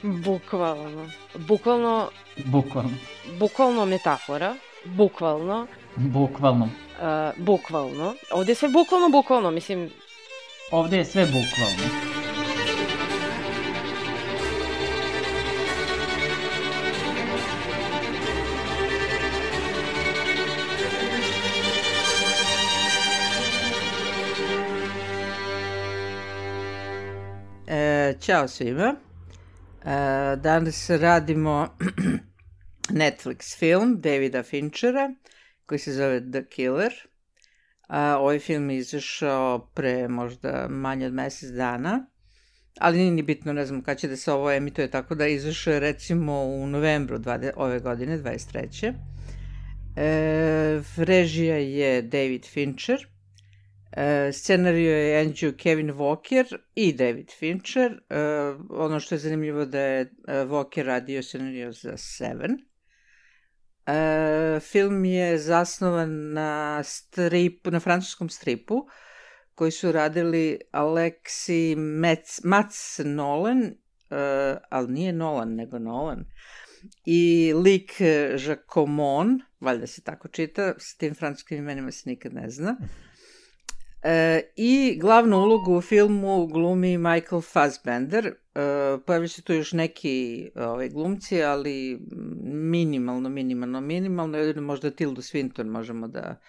Bukvalno. Bukvalno. Bukvalno metafora. Bukvalno. Bukvalno. Ovdje je sve bukvalno, mislim... Ovdje je sve bukvalno. Ćao svima. Danas radimo Netflix film Davida Finchera koji se zove The Killer. Ovaj film je izašao pre možda manje od mjesec dana, ali nije ni bitno, ne znam kada će da se ovo emituje, tako da izašao je recimo u novembru ove godine, 23. Režija je David Fincher. Scenario je Andrew Kevin Walker i David Fincher. Ono što je zanimljivo da je Walker radio scenario za Seven. Film je zasnovan na francuskom stripu koji su radili Alexis Mats Nolan, ali nije Nolan nego Nolan, i Luc Jacomon, valjda se tako čita, s tim francuskim imenima se nikad ne zna. I glavnu ulogu u filmu glumi Michael Fassbender. Pojavili su tu još neki glumci, ali minimalno. Jedino možda Tildu Swinton možemo da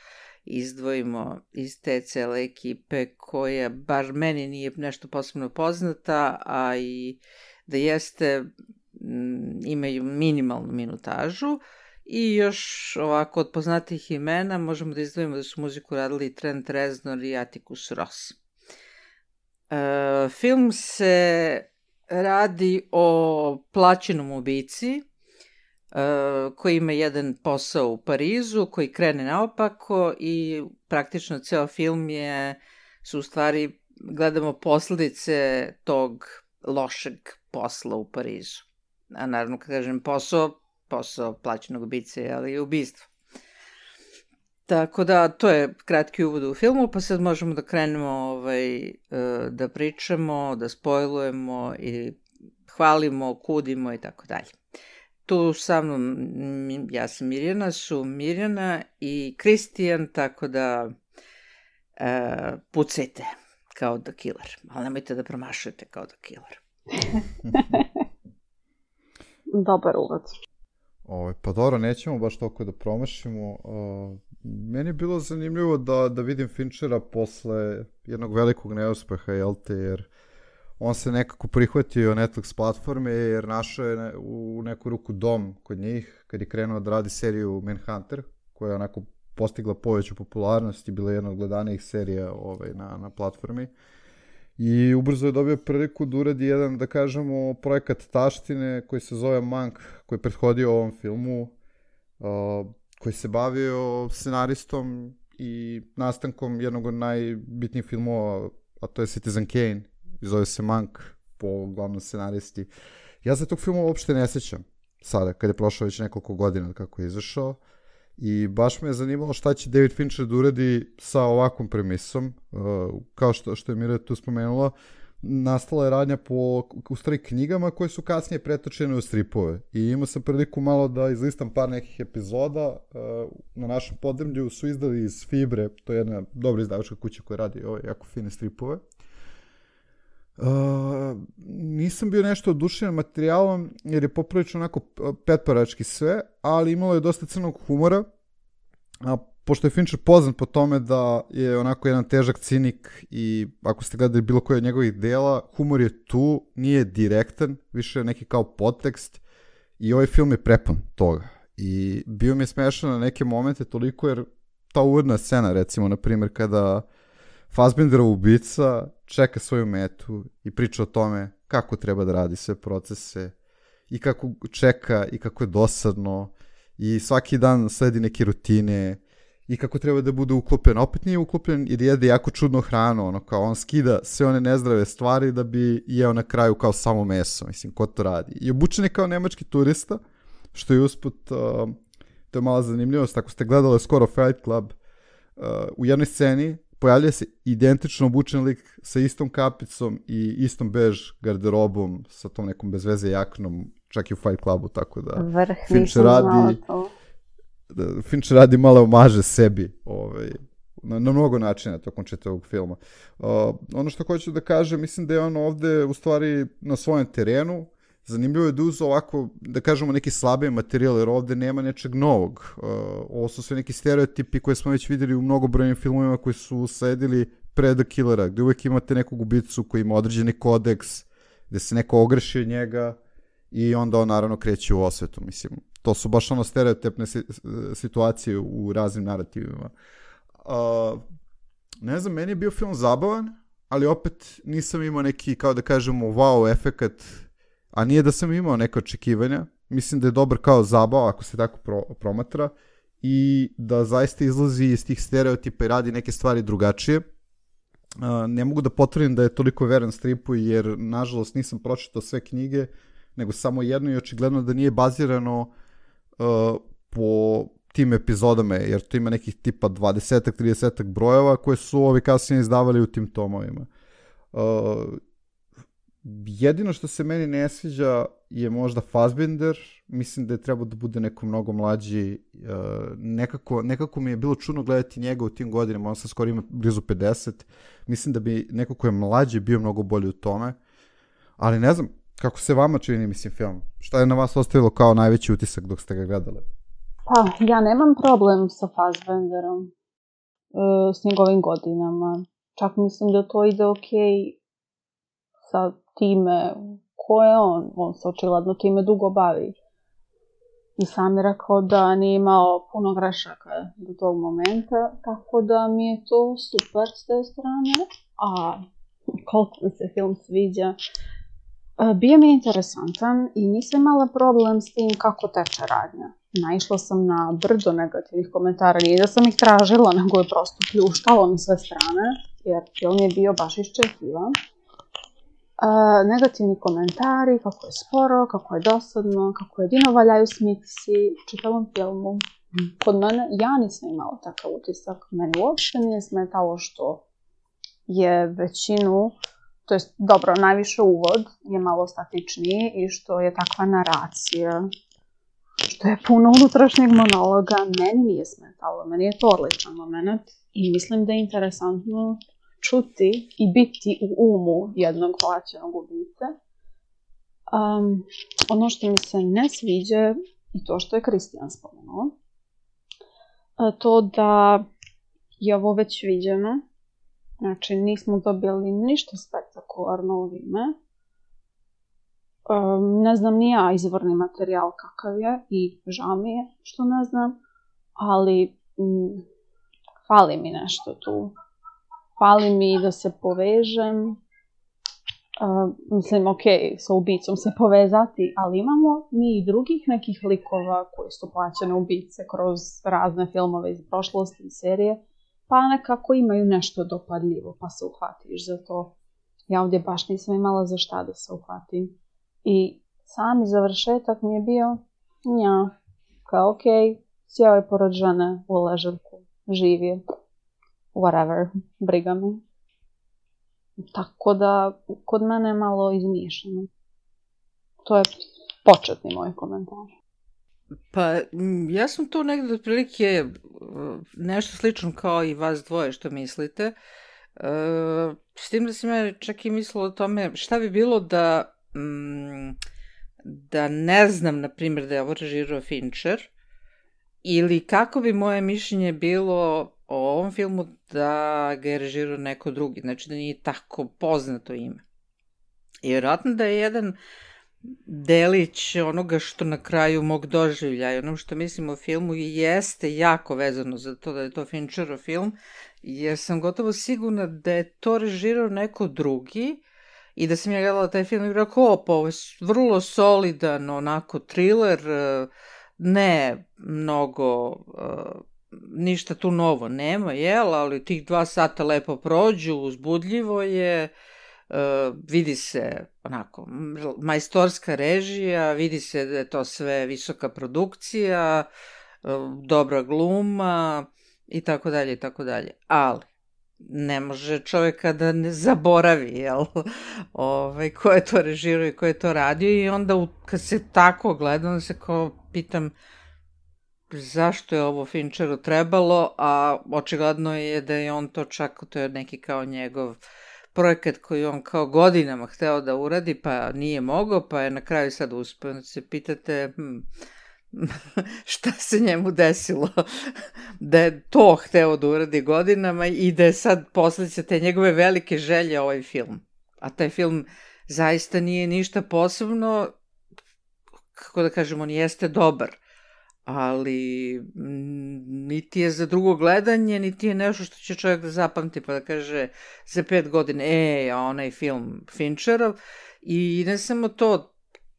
izdvojimo iz te cele ekipe koja bar meni nije nešto posebno poznata, a i da jeste imaju minimalnu minutažu. I još ovako od poznatih imena možemo da izdvojimo da su muziku radili Trent Reznor i Atticus Ross. Film se radi o plaćenom ubici koji ima jedan posao u Parizu koji krene naopako i praktično ceo film su u stvari gledamo posljedice tog lošeg posla u Parizu. A naravno kad kažem posao plaćenog ubice, ali i ubistvo. Tako da, to je kratki uvod u filmu, pa sad možemo da krenemo da pričamo, da spojlujemo i hvalimo, kudimo i tako dalje. Tu sa mnom, ja sam Mirjana, su Mirjana i Kristijan, tako da pucajte kao The Killer, ali nemojte da promašujete kao The Killer. Dobar uvod. Pa dobro, nećemo baš toliko da promašimo. Meni je bilo zanimljivo da vidim Finchera posle jednog velikog neuspeha, jer on se nekako prihvatio Netflix platforme, jer našao je u neku ruku dom kod njih, kad je krenuo da radi seriju Manhunter, koja je onako postigla poveću popularnost i bila jedna od gledanijih serija na platformi. I ubrzo je dobio priliku da uradi jedan, da kažemo, projekat taštine koji se zove Monk, koji je prethodio ovom filmu, koji se bavio scenaristom i nastankom jednog od najbitnijih filmova, a to je Citizen Kane, i zove se Monk po glavnom scenaristi. Ja se tog filma uopšte ne sjećam sada, kad je prošlo već nekoliko godina kako je izašao. I baš me je zanimalo šta će David Fincher da uradi sa ovakvom premisom. Kao što je Mira tu spomenula, nastala je radnja po knjigama koje su kasnije pretočene u stripove. I imao sam priliku malo da izlistam par nekih epizoda. Na našem podrmlju su izdali iz Fibre, to je jedna dobra izdavačka kuća koja radi jako fine stripove. Nisam bio nešto oduševljen materijalom jer je poprilično onako petparački sve, ali imalo je dosta crnog humora, a pošto je Fincher poznat po tome da je onako jedan težak cinik i ako ste gledali bilo koje od njegovih dela, humor je tu, nije direktan, više je neki kao podtekst i ovaj film je prepun toga i bio mi je smešan na neke momente toliko jer ta uvodna scena, recimo na primjer kada Fassbenderov ubica čeka svoju metu i priča o tome kako treba da radi sve procese i kako čeka i kako je dosadno i svaki dan sledi neke rutine i kako treba da bude uklopljen. Opet nije uklopljen jer jede jako čudno hranu, kao on skida sve one nezdrave stvari da bi jeo na kraju kao samo meso, mislim, ko to radi. I obučen je kao nemački turista, što je usput, to je mala zanimljivost, ako ste gledali skoro Fight Club, u jednoj sceni pojavlja se identično obučen lik sa istom kapicom i istom bež garderobom, sa tom nekom bezveze jaknom, čak i u Fight Clubu, tako da Fincher radi malo omaže sebi na mnogo načina tokom čitavog filma. Ono što hoću da kažem, mislim da je on ovde u stvari na svojem terenu. Zanimljivo je da uzeo ovako, da kažemo, neki slabiji materijal, jer ovde nema nečeg novog. Ovo su sve neki stereotipi koje smo već videli u mnogobrojnim filmovima koji su sledili pre The Killera, gde uvek imate nekog ubicu koji ima određeni kodeks, gde se neko ogreši od njega i onda on naravno kreće u osvetu. Mislim, to su baš ono stereotipne situacije u raznim narativima. Ne znam, meni je bio film zabavan, ali opet nisam imao neki, kao da kažemo, wow efekat, a nije da sam imao neke očekivanja. Mislim da je dobar kao zabava, ako se tako promatra, i da zaista izlazi iz tih stereotipa i radi neke stvari drugačije. Ne mogu da potvrdim da je toliko veran stripu, jer nažalost nisam pročitao sve knjige, nego samo jedno, i očigledno da nije bazirano po tim epizodama, jer to ima nekih tipa 20-30 brojeva koje su ovi kasnije izdavali u tim tomovima. Jedino što se meni ne sviđa je možda Fassbinder. Mislim da je trebao da bude neko mnogo mlađi. Nekako mi je bilo čudno gledati njega u tim godinama, on sad skoro ima blizu 50. Mislim da bi neko ko je mlađi bio mnogo bolji u tome. Ali ne znam, kako se vama čini, mislim, film? Šta je na vas ostavilo kao najveći utisak dok ste ga gledali? Pa, ja nemam problem sa Fassbinderom, s njegovim godinama. Čak mislim da to ide okej sa time ko je on se očigledno time dugo bavi. I sam je rekao da nije imao puno grešaka do tog momenta, tako da mi je to super s te strane. A koliko mi se film sviđa, bio mi je interesantan i nisam imala problem s tim kako teče radnja. Naišla sam na brdo negativnih komentara, nije da sam ih tražila, nego je prosto pljuštalo na sve strane, jer film je bio baš iščekivan. Negativni komentari, kako je sporo, kako je dosadno, kako jedino valjaju smitsi u čitavom filmu. Kod mene, ja nisam imala takav utisak. Meni uopšte nije smetalo što je većinu, to jest dobro, najviše uvod je malo statičniji i što je takva naracija, što je puno unutrašnjeg monologa, meni nije smetalo. Meni je to odličan moment i mislim da je interesantno čuti i biti u umu jednog plaćenog ubice. Ono što mi se ne sviđa i to što je Kristijan spomenuo, to da je ovo već viđeno, znači nismo dobili ništa spektakularno u ime. Ne znam ni ja izvorni materijal kakav je i žao mi je što ne znam, ali fali mi nešto tu. Fali mi da se povežem, mislim, sa ubicom se povezati, ali imamo mi i drugih nekih likova koji su plaćene ubice kroz razne filmove iz prošlosti i serije, pa nekako imaju nešto dopadljivo, pa se uhvatiš za to. Ja ovdje baš nisam imala za šta da se uhvatim. I sami završetak mi je bio, kao sjeo je pored žene u ležaljku, živ je. Whatever, briga me. Tako da, kod mene je malo izmiješano. To je početni moj komentar. Pa, ja sam tu negdje otprilike nešto slično kao i vas dvoje što mislite. S tim da sam ja čak i mislila o tome šta bi bilo da ne znam, na primjer, da je ovo režirao Fincher, ili kako bi moje mišljenje bilo o ovom filmu da ga je režirao neko drugi, znači da nije tako poznato ime. I vjerojatno da je jedan delić onoga što na kraju mog doživljaja, ono što mislim o filmu jeste jako vezano za to da je to Fincherov film, jer sam gotovo sigurna da je to režirao neko drugi i da sam ja gledala taj film i rekao, ovo je vrlo solidan, onako thriller, ne mnogo, ništa tu novo nema, ali tih 2 sata lepo prođu, uzbudljivo je, vidi se onako majstorska režija, vidi se da je to sve visoka produkcija, dobra gluma i tako dalje i tako dalje. Ali ne može čovjeka da ne zaboravi, jel? Ko je to režirao i ko je to radio i onda kad se tako gleda, onda se kao pitam zašto je ovo Fincheru trebalo, a očigledno je da je on to čak, to je neki kao njegov projekat koji on kao godinama hteo da uradi, pa nije mogao, pa je na kraju sad uspeo. Znači se pitate šta se njemu desilo, da je to hteo da uradi godinama i da je sad posledica te njegove velike želje ovaj film. A taj film zaista nije ništa posebno, kako da kažem, on jeste dobar, ali niti je za drugo gledanje, niti je nešto što će čovjek da zapamti pa da kaže za 5 godina, onaj film Fincherov. I ne samo to,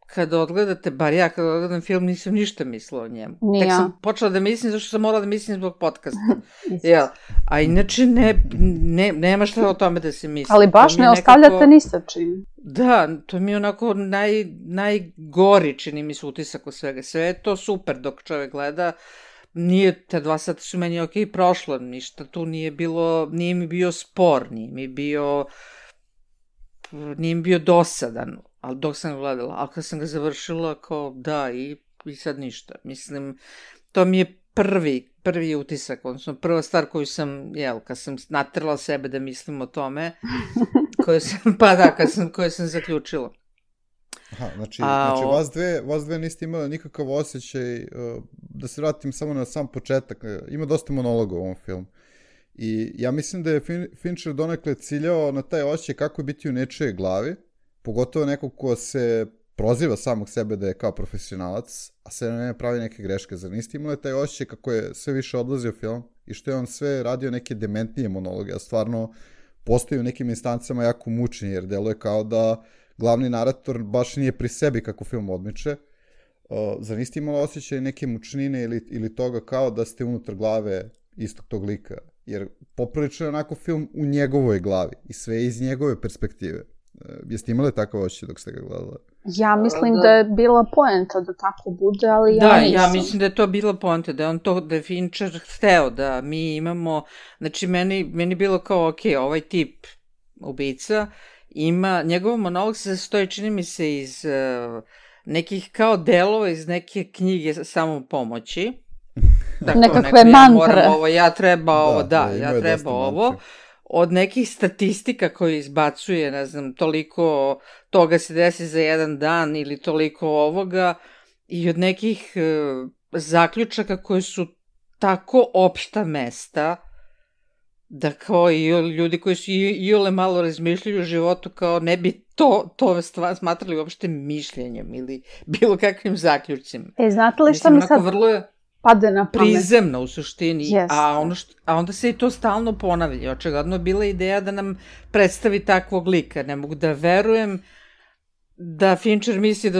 kada odgledate, bar ja kada odgledam film nisam ništa mislila o njemu. Tek sam počela da mislim, zašto sam morala da mislim zbog podcasta. A inače nema šta o tome da se misli. Ali baš ne ostavljate ni sa čim. Da, to mi je onako najgori, čini mi se, utisak od svega. Sve je to super dok čovjek gleda. Nije, te 2 sata su meni prošlo, ništa tu nije bilo, nije mi bio spor, nije mi bio dosadan, ali dok sam ga gledala. Ali kad sam ga završila, kao da, i sad ništa. Mislim, to mi je prvi utisak, odnosno prva stvar koju sam, kad sam natrla sebe da mislim o tome, koju sam zaključila. Aha, znači vas dve niste imali nikakav osjećaj, da se vratim samo na sam početak, ima dosta monologa u ovom filmu. I ja mislim da je Fincher donekle ciljao na taj osjećaj kako je biti u nečijoj glavi, pogotovo neko ko se proziva samog sebe da je kao profesionalac, a sve ne pravi neke greške. Zar niste imali taj osjećaj kako je sve više odlazio film i što je on sve radio neke dementnije monologe, a stvarno postoji u nekim instancama jako mučni, jer deluje kao da glavni narator baš nije pri sebi kako film odmiče. Zar niste imali osjećaj neke mučnine ili toga kao da ste unutar glave istog tog lika? Jer poprilično je onako film u njegovoj glavi i sve iz njegove perspektive. Jeste imali takav osjećaj dok ste ga gledali? Ja mislim da je bila poenta da tako bude, ali ja nisam. Da, ja mislim da je to bila poenta, da je Fincher hteo da mi imamo, znači meni bilo kao, ok, ovaj tip ubica ima, njegov monolog se sastoji, čini mi se, iz nekih kao delova iz neke knjige samopomoći. Dakle, nekakve mantre. Ja treba ovo. Od nekih statistika koje izbacuje, ne znam, toliko toga se desi za jedan dan ili toliko ovoga, i od nekih zaključaka koje su tako opšta mesta, da kao i ljudi koji su iole malo razmišljaju o životu, kao ne bi to stvar smatrali uopšte mišljenjem ili bilo kakvim zaključcima. Znate li šta mi sad pade na pamet? Prizemno u suštini, a onda se i to stalno ponavlja. Očigledno je bila ideja da nam predstavi takvog lika. Ne mogu da verujem da Fincher misli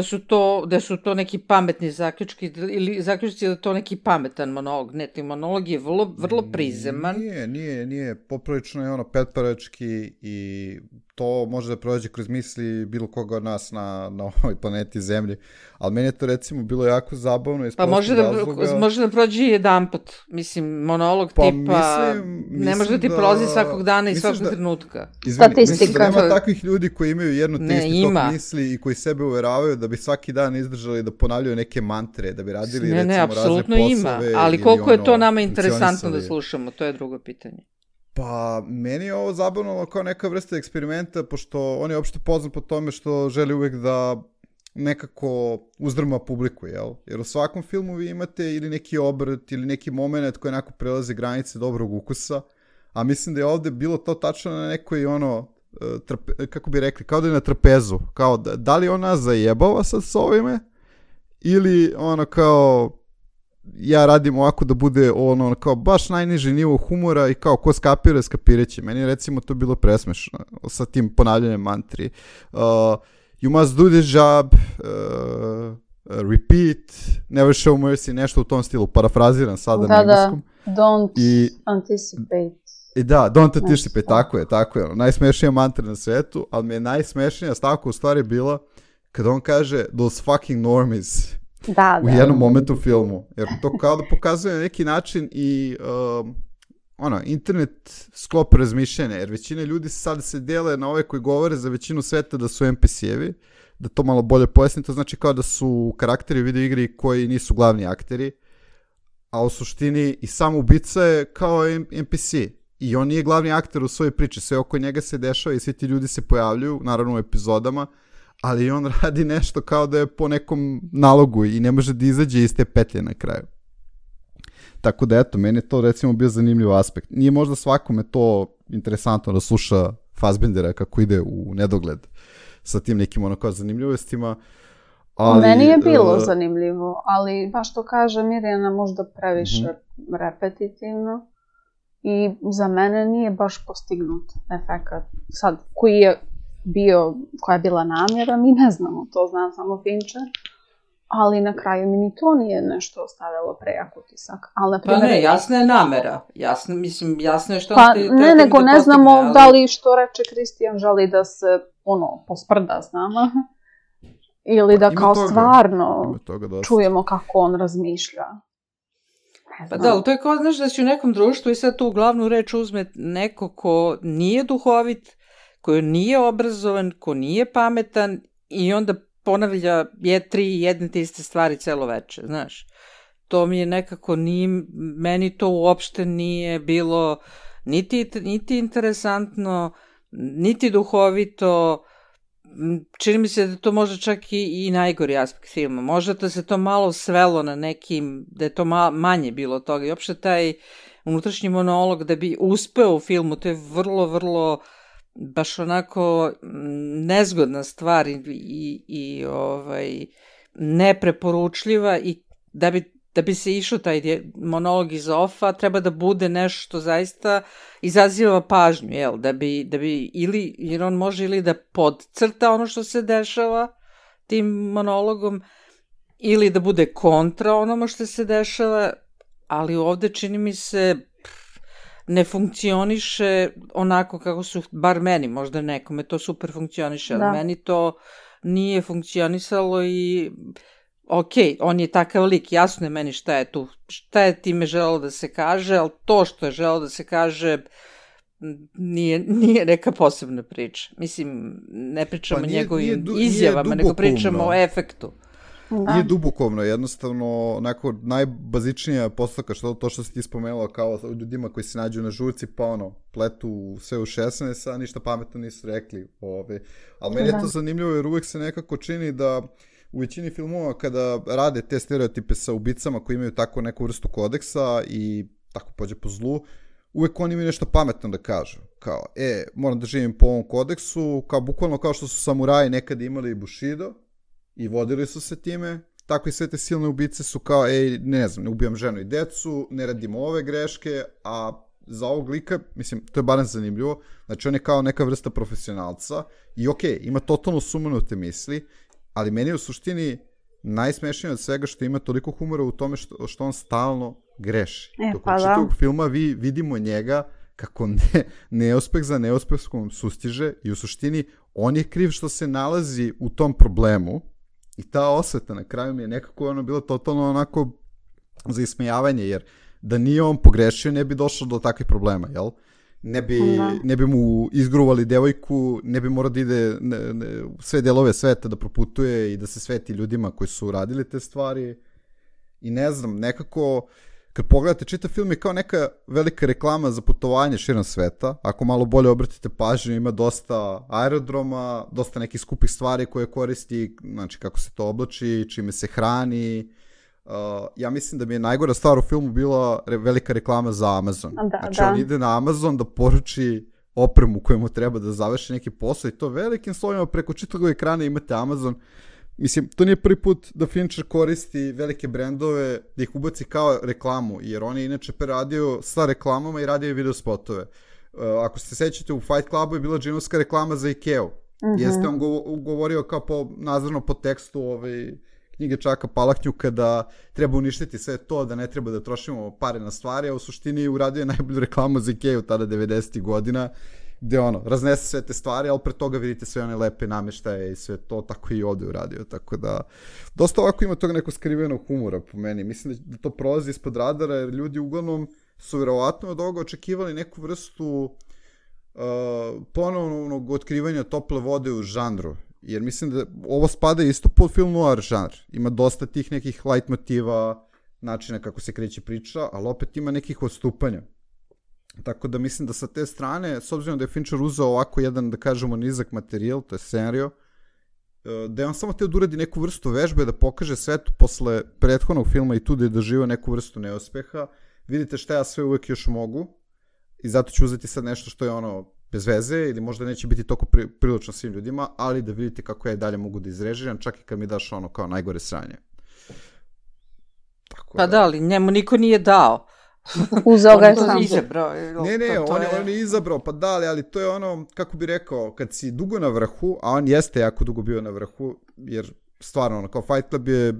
da su to neki pametni zaključki ili zaključci da je to neki pametan monolog. Ne, ti monolog je vrlo prizeman. Nije. Poprilično je ono petparački i to može da prođe kroz misli bilo koga od nas na ovoj planeti Zemlji. Ali meni je to recimo bilo jako zabavno. Pa može da prođe i jedanput. Mislim, monolog tipa ne može da ti prolazi svakog dana i svakog trenutka. Mislim da nema takvih ljudi koji imaju jedno te isti tok misli i koji sebe uveravaju da bi svaki dan izdržali da ponavljaju neke mantre, da bi radili recimo razne poslove. Apsolutno ima, ali koliko je to nama interesantno da slušamo, to je drugo pitanje. Pa, meni je ovo zabavno kao neka vrsta eksperimenta, pošto on je uopšte poznat po tome što želi uvek da nekako uzdrma publiku, jel? Jer u svakom filmu vi imate ili neki obrt ili neki moment koji onako prelazi granice dobrog ukusa, a mislim da je ovde bilo to tačno na nekoj kako bi rekli, kao da je na trapezu, kao da li on nas zajebava sad s ovime ili ono kao ja radim ovako da bude ono kao baš najniži nivo humora i kao ko skapira, skapireće. Meni je recimo to bilo presmešno sa tim ponavljanjem mantri. You must do this job, repeat, never show mercy, nešto u tom stilu, parafraziram sada na engleskom. Don't anticipate. I da, don't anticipate, tako je. Najsmešnija mantra na svetu, ali mi je najsmešnija stavka u stvari bila kada on kaže those fucking normies. U jednom momentu u filmu. Jer to kao da pokazuje na neki način i internet sklop razmišljanja, jer većina ljudi sad se dele na ove koji govore za većinu sveta da su NPC-evi, da to malo bolje pojasnim, to znači kao da su karakteri u video igri koji nisu glavni akteri, a u suštini i sam ubica je kao NPC i on nije glavni akter u svojoj priči, sve oko njega se dešava i svi ti ljudi se pojavljuju, naravno u epizodama, ali on radi nešto kao da je po nekom nalogu i ne može da izađe iz te petlje na kraju. Tako da eto, meni je to recimo bio zanimljiv aspekt. Nije možda svakome to interesantno da sluša Fassbendera kako ide u nedogled sa tim nekim kao zanimljivostima. Ali, meni je bilo zanimljivo, ali baš to kaže Mirjana možda previše repetitivno i za mene nije baš postignut efekat. Sad, koja je bila namjera, mi ne znamo, to zna samo Fincher. Ali na kraju mi ni to nije nešto ostavilo prejak utisak. Ali, pa ne, jasna je namera. Jasno je što pa, ti ne, nego ne znamo ali... da li što reče Kristijan želi da se posprda s nama. Ili da kao stvarno čujemo kako on razmišlja. Pa da, ali to je kao, znaš, da si u nekom društvu i sad tu glavnu reč uzme neko ko nije duhovit, ko nije obrazovan, ko nije pametan i onda ponavlja jedne te iste stvari celo veče, znaš. To mi je nekako meni to uopšte nije bilo niti interesantno, niti duhovito. Čini mi se da to možda čak i najgori aspekt filma. Možda da se to malo svelo na nekim, da je to manje bilo toga. I uopšte taj unutrašnji monolog da bi uspeo u filmu, to je vrlo, vrlo baš onako nezgodna stvar i nepreporučljiva i da bi se išao taj monolog iz ofa, treba da bude nešto što zaista izaziva pažnju, jel? Da bi ili, jer on može ili da podcrta ono što se dešava tim monologom, ili da bude kontra onome što se dešava, ali ovde čini mi se ne funkcioniše onako kako su, bar meni, možda nekome to super funkcioniše, ali meni to nije funkcionisalo i ok, on je takav lik, jasno je meni šta je time želelo da se kaže, ali to što je želelo da se kaže nije neka posebna priča. Mislim, ne pričamo o njegovim izjavama, nego pričamo o efektu. Nije dubokovno, jednostavno onako najbazičnija postavka, to što si ti spomenula kao ljudima koji se nađu na žurci pa pletu sve u 16, a ništa pametno nisu rekli. Ali meni je to zanimljivo jer uvek se nekako čini da u većini filmova kada rade te stereotipe sa ubicama koji imaju tako neku vrstu kodeksa i tako pođe po zlu, uvek oni imaju nešto pametno da kažu. Kao, moram da živim po ovom kodeksu, kao bukvalno kao što su samuraji nekad imali Bushido i vodili su se time, tako i sve te silne ubice su kao, ne ubijam ženu i decu, ne radimo ove greške, a za ovog lika, mislim, to je barem zanimljivo, znači on je kao neka vrsta profesionalca i ima totalno sumanute misli, ali meni je u suštini najsmešnije od svega što ima toliko humora u tome što on stalno greši. Dok u čitavog filma vidimo njega kako neuspeh za neuspehom sustiže i u suštini on je kriv što se nalazi u tom problemu i ta osveta na kraju mi je nekako bilo totalno onako za ismejavanje, jer da nije on pogrešio ne bi došlo do takvih problema, jel? Ne bi mu izgruvali devojku, ne bi morao da ide sve delove sveta da proputuje i da se sveti ljudima koji su radili te stvari. I ne znam, nekako, kad pogledate čitav film je kao neka velika reklama za putovanje širom sveta. Ako malo bolje obratite pažnju, ima dosta aerodroma, dosta nekih skupih stvari koje koristi, znači kako se to oblači, čime se hrani. Ja mislim da mi je najgora stvar u filmu bila velika reklama za Amazon. On ide na Amazon da poruči opremu koju mu treba da završi neki posao i to velikim slovima preko čitavog ekrana imate Amazon. Mislim, to nije prvi put da Fincher koristi velike brendove da ih ubaci kao reklamu, jer on je inače radio sa reklamama i radio video spotove. Ako se sećate, u Fight Clubu je bila džinovska reklama za Ikeu. Jeste on govorio kao nazirno po tekstu knjige Čaka Palahnjuka da treba uništiti sve to, da ne treba da trošimo pare na stvari, a u suštini uradio je najbolju reklamu za Ikeu tada 90. godina, gde raznese sve te stvari, ali pre toga vidite sve one lepe namještaje i sve to, tako i ovde uradio, tako da dosta ovako ima toga neko skrivenog humora po meni. Mislim da to prolazi ispod radara, jer ljudi uglavnom su verovatno od ovoga očekivali neku vrstu ponovnog otkrivanja tople vode u žanru. Jer mislim da ovo spada isto pod film noir žanr. Ima dosta tih nekih light motiva, načina kako se kreće priča, ali opet ima nekih odstupanja. Tako da mislim da sa te strane, s obzirom da je Fincher uzeo ovako jedan, da kažemo, nizak materijal, to je scenario, da je on samo teo da uradi neku vrstu vežbe, da pokaže svetu posle prethodnog filma i tu da je doživao neku vrstu neuspeha. Vidite šta ja sve uvek još mogu i zato ću uzeti sad nešto što je ono bez veze ili možda neće biti toliko prilično svim ljudima, ali da vidite kako ja i dalje mogu da izrežiram, čak i kad mi daš ono kao najgore sranje. Tako pa da, ali njemu niko nije dao. Uzeo ga je sam. sam. Izabrao. On je izabrao, pa da, ali to je ono, kako bi rekao, kad si dugo na vrhu, a on jeste jako dugo bio na vrhu, jer stvarno, ono, kao Fight Club je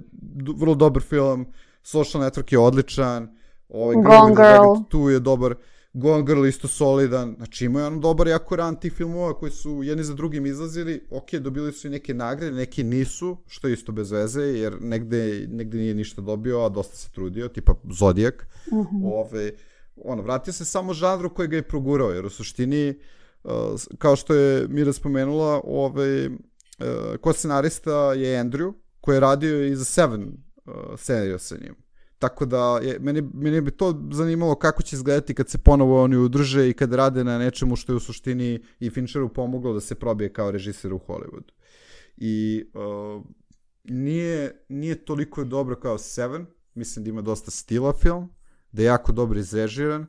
vrlo dobar film, Social Network je odličan, Gone Girl tu je dobar, Gone Girl isto solidan, znači imao je ono dobar jako ran tih filmova koji su jedni za drugim izlazili, ok, dobili su i neke nagrade, neki nisu, što je isto bez veze, jer negde nije ništa dobio, a dosta se trudio, tipa Zodiac. Vratio se samo žanru koji ga je progurao, jer u suštini, kao što je Mira spomenula, ko scenarista je Andrew, koji je radio i za Seven seriju sa njim. Tako da, meni bi to zanimalo kako će izgledati kad se ponovo oni udruže i kad rade na nečemu što je u suštini i Fincheru pomoglo da se probije kao režiser u Hollywoodu. I nije toliko dobro kao Seven, mislim da ima dosta stila film, da je jako dobro izrežiran.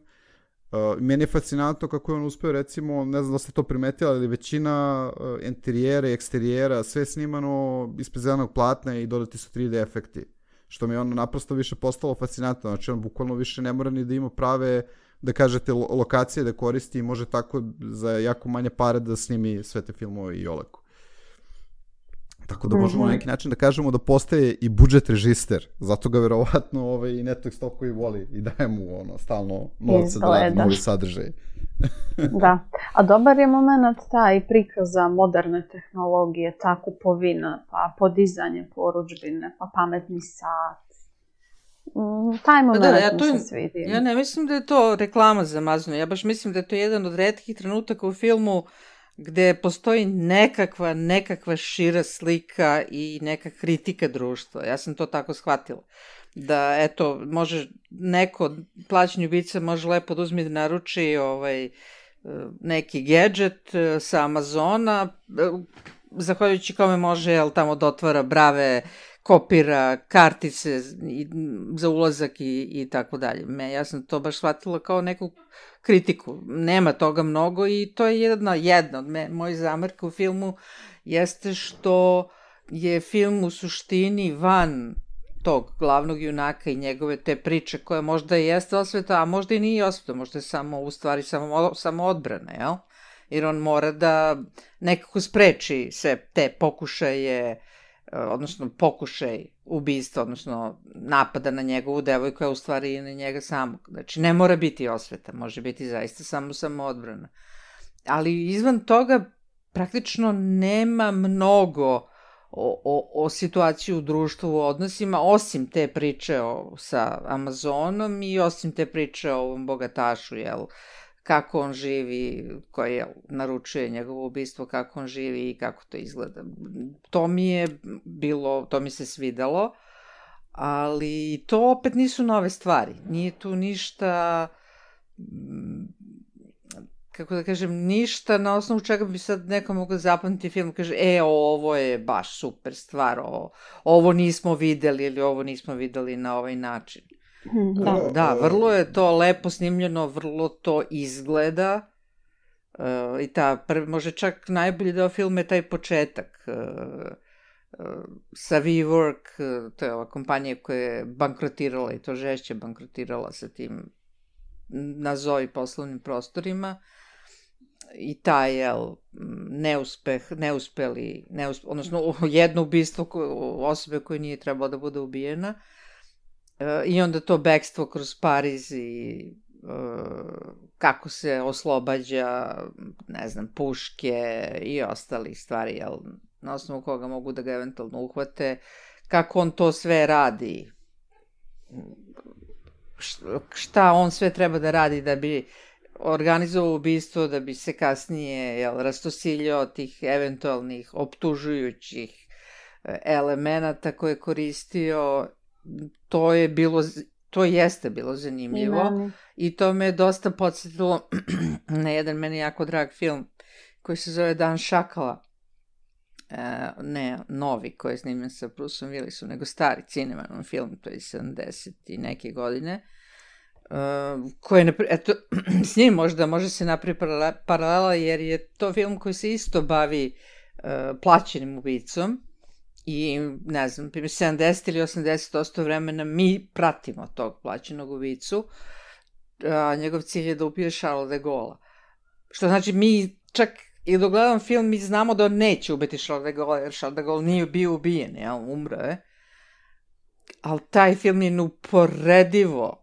Meni je fascinantno kako je on uspeo, recimo, ne znam da ste to primetili, ali većina interijera i eksterijera, sve je snimano ispred zelenog platna i dodati su 3D efekti. Što mi je ono naprosto više postalo fascinantno, znači on bukvalno više ne mora ni da ima prave, da kažete, lokacije da koristi i može tako za jako manje pare da snimi sve te filmove i olako. Tako da možemo na neki način da kažemo da postaje i budžet režister, zato ga verovatno i Netflix toliko i voli i daje mu stalno novce da radi novi sadržaj. Da, a dobar je moment taj prikaza moderne tehnologije, ta kupovina, pa podizanje porudžbine, pa pametni sat. Taj moment mi se svidi. Ja ne mislim da je to reklama za Amazon, ja baš mislim da je to jedan od retkih trenutaka u filmu gde postoji nekakva šira slika i neka kritika društva. Ja sam to tako shvatila. Da, eto, može neko, plaćeni ubica može lepo da uzme da naruči neki gadget sa Amazona, zahvaljujući kome može, tamo da otvara brave, kopira kartice za ulazak i tako dalje. Ja sam to baš shvatila kao neku kritiku. Nema toga mnogo i to je jedna od mojih zamerka u filmu jeste što je film u suštini van tog glavnog junaka i njegove te priče koja možda jeste osveta, a možda i nije osveta, možda je samo u stvari samo odbrana, jel? Jer on mora da nekako spreči sve te pokušaje, odnosno pokušaj ubistva, odnosno napada na njegovu devojku, a u stvari i na njega samog. Znači, ne mora biti osveta, može biti zaista samo odbrana. Ali izvan toga praktično nema mnogo o situaciji u društvu, u odnosima, osim te priče sa Amazonom i osim te priče o ovom bogatašu, jel, kako on živi, koji naručuje njegovo ubistvo, kako on živi i kako to izgleda. To mi se svidelo, ali to opet nisu nove stvari. Nije tu ništa, kako da kažem, ništa na osnovu čega bi sad neko mogao zapamtiti film, kaže, ovo je baš super stvar, ovo nismo videli ili ovo nismo videli na ovaj način. Da, vrlo je to lepo snimljeno, vrlo to izgleda i može čak najbolji deo filma je taj početak sa WeWork, to je ova kompanija koja je bankrotirala i to žešće bankrotirala sa tim nazovi poslovnim prostorima i taj odnosno jedno ubistvo osobe koja nije trebala da bude ubijena. I onda to bekstvo kroz Pariz i kako se oslobađa, ne znam, puške i ostali stvari, na osnovu koga mogu da ga eventualno uhvate, kako on to sve radi, šta on sve treba da radi da bi organizovao ubistvo, da bi se kasnije rastosiljao tih eventualnih optužujućih elemenata koje je koristio, to jeste bilo zanimljivo i to me je dosta podsjetilo na jedan meni jako drag film koji se zove Dan šakala, ne novi koji je snimljen sa Bruceom Willisom, nego stari Cinemanom film, to je 70 i neke godine, koji s njim može se napravi paralela jer je to film koji se isto bavi plaćenim ubicom i ne znam, 70 ili 80% vremena mi pratimo tog plaćenog ubicu, a njegov cilj je da ubije Charles de Gaulle. Što znači mi čak i dok gledam film mi znamo da on neće ubiti Charles de Gaulle, jer Charles de Gaulle nije bio ubijen, umro je. Ali taj film je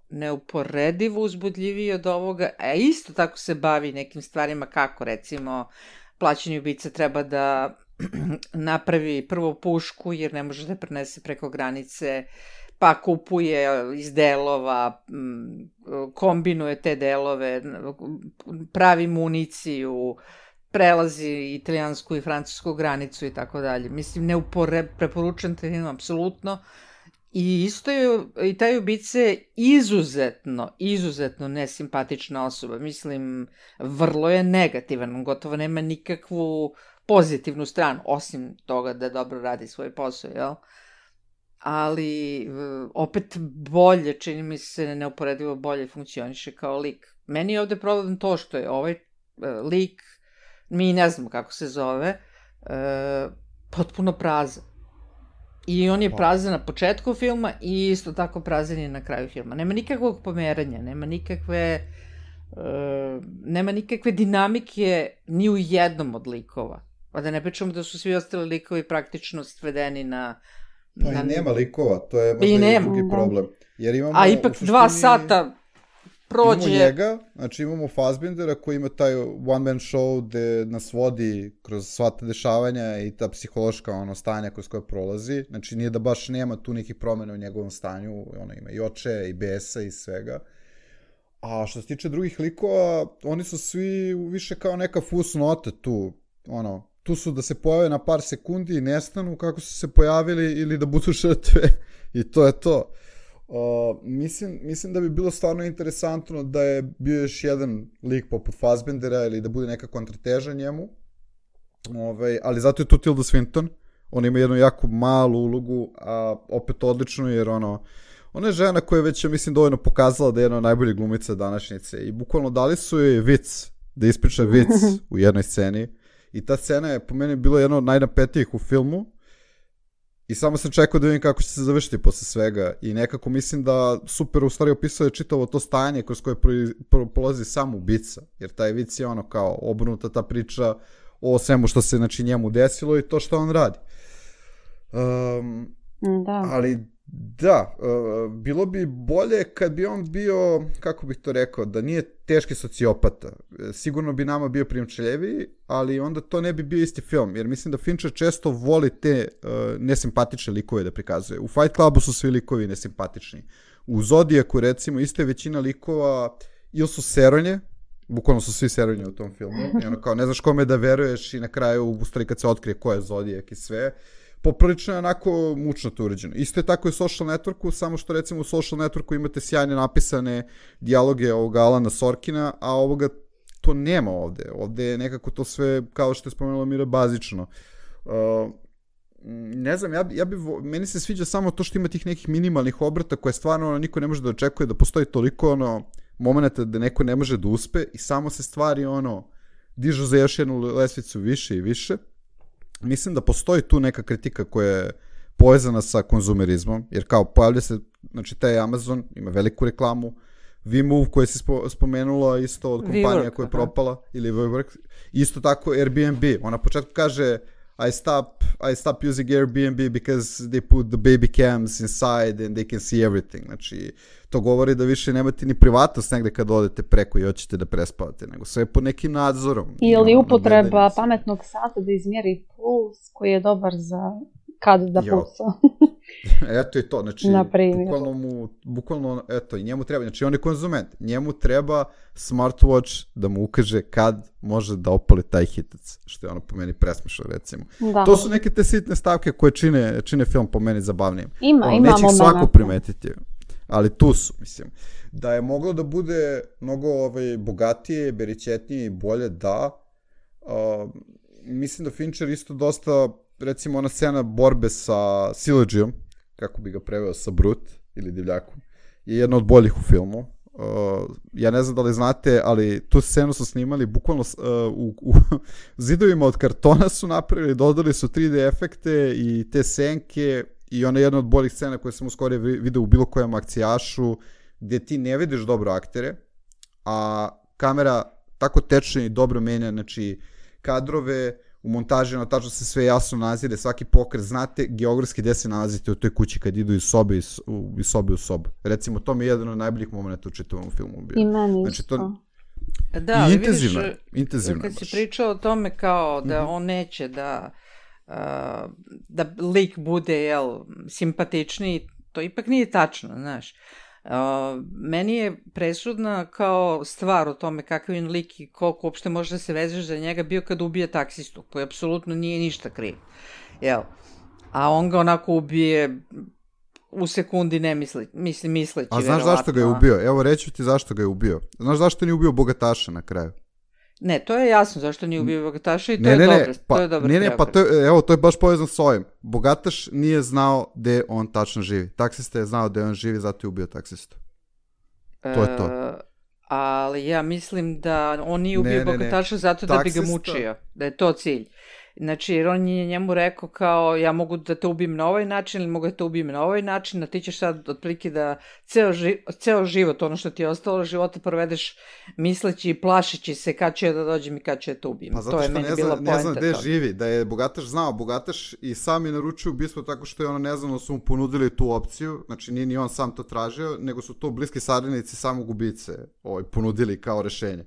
neuporedivo uzbudljiviji od ovoga, a isto tako se bavi nekim stvarima kako, recimo, plaćeni ubica treba da napravi prvo pušku jer ne može da prenese preko granice, pa kupuje iz delova, kombinuje te delove, pravi municiju, prelazi italijansku i francusku granicu i tako dalje. Mislim, preporučujem te film, apsolutno. I isto je, i taj ubica je izuzetno nesimpatična osoba. Mislim, vrlo je negativan, gotovo nema nikakvu pozitivnu stranu, osim toga da dobro radi svoj posao, jel? Ali opet bolje, čini mi se, neuporedivo bolje funkcioniše kao lik. Meni je ovde problem to što je ovaj lik, mi ne znamo kako se zove, potpuno prazan. I on je prazan na početku filma i isto tako prazan je na kraju filma. Nema nikakvog pomeranja, nema nikakve dinamike ni u jednom od likova. Pa da ne pričamo da su svi ostali likovi praktično svedeni na... Pa i nema likova, to je možda i drugi problem. Jer imamo, a ipak 2 sata prođe... Imamo njega, znači imamo Fassbindera koji ima taj one man show gde nas vodi kroz sva ta dešavanja i ta psihološka stanja kroz koje prolazi. Znači nije da baš nema tu nekih promjena u njegovom stanju, ima i oče, i besa i svega. A što se tiče drugih likova, oni su svi više kao neka fusnota tu, tu su da se pojave na par sekundi i nestanu kako su se pojavili ili da budu žrtve i to je to. Mislim da bi bilo stvarno interesantno da je bio još jedan lik poput Fassbindera ili da bude neka kontrateža njemu, ali zato je tu Tilda Swinton, ona ima jednu jako malu ulogu, a opet odličnu jer ona je žena koja je već, mislim, dovoljno pokazala da je jedna od najboljih glumica današnjice i bukvalno dali su joj vic, da ispriča vic u jednoj sceni i ta scena je po meni bila jedna od najnapetijih u filmu i samo sam čekao da vidim kako će se završiti posle svega i nekako mislim da super u stvari opisao je čitavo to stanje kroz koje prolazi sam ubica, jer taj vic je kao obrnuta ta priča o svemu što se njemu desilo i to što on radi. Da. Ali da, bilo bi bolje kad bi on bio, kako bih to rekao, da nije teški sociopata. Sigurno bi nama bio primčeljeviji, ali onda to ne bi bio isti film, jer mislim da Fincher često voli te nesimpatične likove da prikazuje. U Fight Clubu su svi likovi nesimpatični. U Zodiacu, recimo, isto je većina likova ili su seronje, bukvalno su svi seronje u tom filmu, i kao ne znaš kome da veruješ i na kraju, u stvari kad se otkrije ko je Zodiac i sve, poprilično je onako mučno to uređeno. Isto je tako i u Social Networku, samo što recimo u Social Networku imate sjajne napisane dijaloge ovoga Alana Sorkina, a ovoga to nema ovde. Ovde je nekako to sve, kao što je spomenula Mira, bazično. Ne znam, meni se sviđa samo to što ima tih nekih minimalnih obrata koje stvarno niko ne može da očekuje, da postoji toliko momenta da neko ne može da uspe i samo se stvari dižu za još jednu lesvicu više i više. Mislim da postoji tu neka kritika koja je povezana sa konzumerizmom, jer kao pojavlja se, znači taj Amazon ima veliku reklamu, VMove koja si spomenula isto od kompanija koja je propala, ili WeWork, isto tako Airbnb, ona početku kaže I stop using Airbnb because they put the baby cams inside and they can see everything. Znači, to govori da više nemate ni privatnost negde kad odete preko i hoćete da prespavate, nego sve pod nekim nadzorom. Ili upotreba pametnog sata da izmjeri puls koji je dobar za kad da Jo. puca. Eto i to, znači, Na primjer. bukvalno, eto, i njemu treba, znači on je konzument, njemu treba smartwatch da mu ukaže kad može da opali taj hitac, što je ono po meni presmešno, recimo. Da. To su neke te sitne stavke koje čine film po meni zabavnijim. Ima Neće ih svako momenata. primetiti, ali tu su, mislim. Da je moglo da bude mnogo bogatije, beričetnije i bolje, da. Mislim da Fincher isto dosta, recimo ona scena borbe sa Siledžijom, kako bi ga preveo, sa Brut ili divljakom, je jedna od boljih u filmu. Ja ne znam da li znate, ali tu scenu su snimali bukvalno u zidovima od kartona su napravili, dodali su 3D efekte i te senke i ona je jedna od boljih scena koje sam uskoro vidio u bilo kojem akcijašu, gdje ti ne vidiš dobro aktere, a kamera tako tečne i dobro menja, znači kadrove, u montaži tačno se sve jasno nazire, svaki pokret, znate geografski gde se nalazite u toj kući kad idu iz sobe u sobu. Recimo, to mi je jedan od najboljih momenta u čitavom filmu bio. I meni znači, isto. Da, ali intenzivno kad si baš. pričao o tome kao da on neće da lik bude, simpatičniji, to ipak nije tačno, znaš. Meni je presudna kao stvar o tome kakav je lik i koliko uopšte može da se vezeš za njega bio kad ubije taksistu, koji apsolutno nije ništa kriv. A on ga onako ubije u sekundi ne misleći. A znaš zašto ga je ubio? Evo reću ti zašto ga je ubio. Znaš zašto nije ubio bogataša na kraju? Ne, to je jasno zašto nije ubio bogataša i to je dobro. To je dobro. To je baš povezano s ovim. Bogataš nije znao gde on tačno živi. Taksista je znao gde on živi, zato je ubio taksistu. To je to. Ali ja mislim da on nije ubio bogataša zato da bi ga mučio. Da je to cilj. Znači, jer on je njemu rekao kao, ja mogu da te ubijem na ovaj način ili mogu da te ubijem na ovaj način, a ti ćeš sad otprilike da ceo život, ono što ti je ostalo života, provedeš misleći i plašeći se kad će da dođem i kad će da te ubijem. Pa zato što ne zna gde živi, da je bogataš znao, bogataš i sam je naručio ubistvo tako što je ono neznano su mu ponudili tu opciju, znači nije ni on sam to tražio, nego su to bliski saradnici samog ubice ponudili kao rešenje.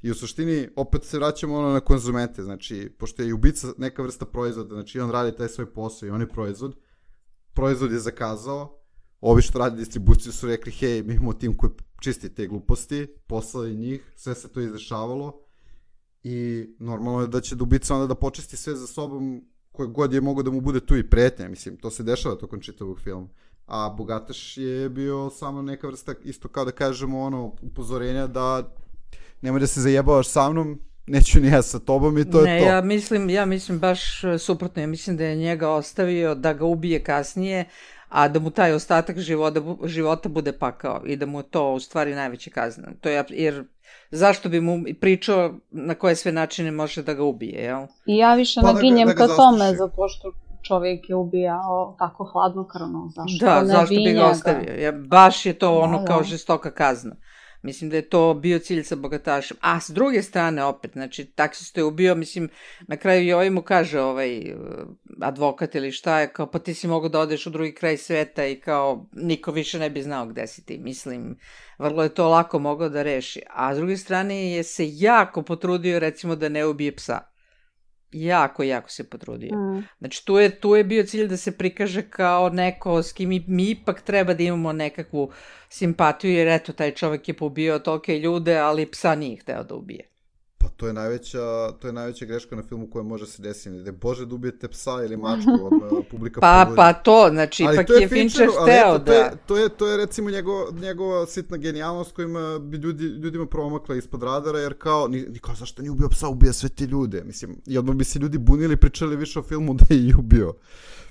I u suštini, opet se vraćamo na konzumente, znači, pošto je i ubica neka vrsta proizvoda, znači on radi taj svoj posao i on je proizvod je zakazao, ovi što radi distribuciju su rekli, hej, mi imamo tim koji čisti te gluposti, poslali njih, sve se to izdešavalo i normalno je da će ubica onda da počisti sve za sobom koje god je mogo da mu bude tu i pretnja, mislim, to se dešava tokom čitavog filma. A bogataš je bio samo neka vrsta, isto kao da kažemo, upozorenja da nemoj da se zajebavaš sa mnom, neću ni ja sa tobom i to je to. Ja mislim baš suprotno, ja mislim da je njega ostavio da ga ubije kasnije, a da mu taj ostatak života bude pakao i da mu to u stvari najveća kazna. Jer zašto bi mu pričao na koje sve načine može da ga ubije, jel? I ja više naginjem ka tome, zato što čovjek je ubijao tako hladnokrvno. Zašto bi ga ostavio? Baš je to ono kao žestoka kazna. Mislim da je to bio cilj sa bogatašem. A s druge strane opet, znači taksisto je ubio, mislim, na kraju i ovaj mu kaže advokat ili šta je, kao pa ti si mogao da odeš u drugi kraj sveta i kao niko više ne bi znao gde si ti. Mislim, vrlo je to lako mogao da reši. A s druge strane je se jako potrudio recimo da ne ubije psa. Jako se potrudio. Znači, tu je bio cilj da se prikaže kao neko s kim mi ipak treba da imamo nekakvu simpatiju, jer eto, taj čovjek je pobio tolike ljude, ali psa nije hteo da ubije. Pa to je najveća greška na filmu koja može se desiti. Da je Bože da ubijete psa ili mačku, publika pobudi. Pa to, znači, ipak je Fincher hteo da... To je recimo njegova sitna genijalnost kojima bi ljudima promakla ispod radara, jer kao zašto nije ubio psa, ubija sve te ljude. Mislim, i odmah bi se ljudi bunili i pričali više o filmu da je i ubio